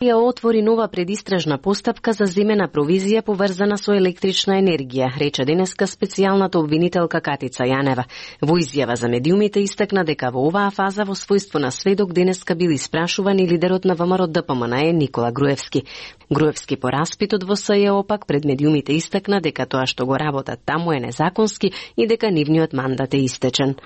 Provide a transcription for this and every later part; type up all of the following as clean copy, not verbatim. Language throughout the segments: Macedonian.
Ја отвори нова предистражна постапка за земена провизија поврзана со електрична енергија, рече денеска специјалната обвинителка Катица Јанева. Во изјава за медиумите истакна дека во оваа фаза во својство на сведок денеска бил испрашуван и лидерот на ВМРО ДПМНЕ Никола Груевски. Груевски по распитот во СЈО пак пред медиумите истакна дека тоа што го работат таму е незаконски и дека нивниот мандат е истечен.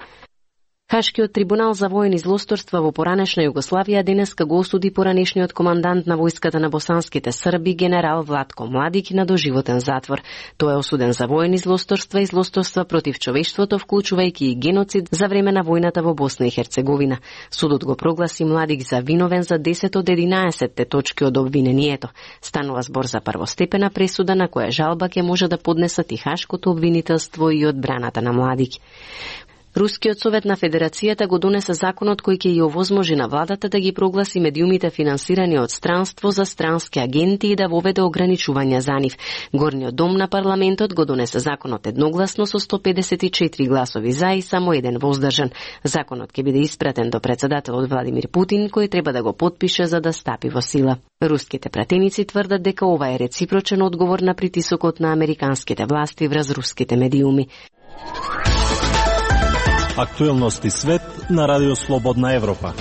Хашкиот трибунал за воени злосторства во поранешна Југославија денеска го осуди поранешниот командант на војската на босанските срби генерал Владко Младик на доживотен затвор. Тој е осуден за воени злосторства и злосторства против човештвото, вклучувајќи и геноцид за време на војната во Босна и Херцеговина. Судот го прогласи Младик за виновен за 10 од 11 точки од обвинението. Станува збор за првостепена пресуда на која жалба ќе може да поднесат и Хашкото обвинителство и одбраната на Младик. Рускиот совет на Федерацијата го донесе законот кој ќе ја овозможи на владата да ги прогласи медиумите финансирани од странство за странски агенти и да воведе ограничувања за нив. Горниот дом на парламентот го донесе законот едногласно со 154 гласови за и само еден воздржан. Законот ќе биде испратен до председателот Владимир Путин, кој треба да го потпише за да стапи во сила. Руските пратеници тврдат дека ова е реципрочен одговор на притисокот на американските власти врз руските медиуми. Актуелности свет на Радио Слободна Европа.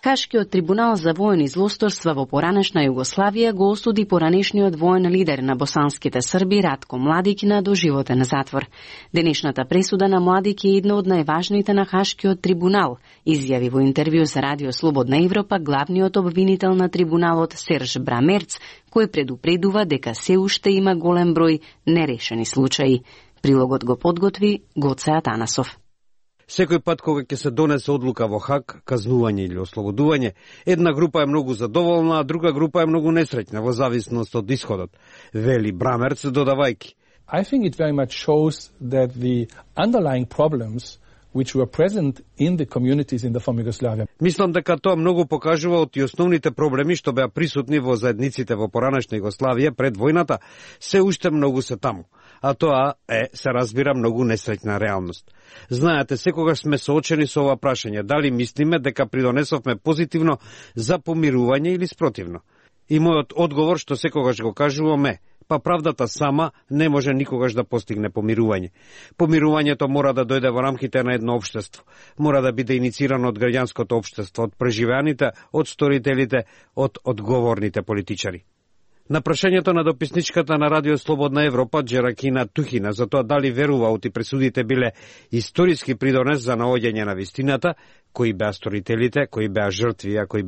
Хашкиот трибунал за воени злосторства во поранешна Југославија го осуди поранешниот воен лидер на босанските срби Ратко Младик на доживотен затвор. Денешната пресуда на Младик е една од најважните на Хашкиот трибунал, изјави во интервју за Радио Слободна Европа главниот обвинител на трибуналот Серж Брамерц, кој предупредува дека се уште има голем број нерешени случаи. Прилогот го подготви Гоце Атанасов. Секој пат кога ќе се донесе одлука во Хаг, казнување или ослободување, една група е многу задоволна, а друга група е многу несреќна во зависност од исходот, вели Брамерц додавајќи. I think it very much shows that the underlying problems which were present in the communities in the former Yugoslavia. Мислам дека тоа многу покажува од и основните проблеми што беа присутни во заедниците во поранешна Југославија пред војната, се уште многу се таму. А тоа е, се разбира, многу несреќна реалност. Знаете, секогаш сме соочени со ова прашање, дали мислиме дека придонесовме позитивно за помирување или спротивно. И мојот одговор, што секогаш го кажувам е, па правдата сама не може никогаш да постигне помирување. Помирувањето мора да дојде во рамките на едно општество. Мора да биде иницирано од граѓанското општество, од преживеаните, од сторителите, од одговорните политичари. На прашањето на дописничката на Радио Слободна Европа Джеракина Тухина за тоа дали верува оти пресудите биле историски придонес за наоѓање на вистината, кои беа сторителите, кои беа жртви, а кои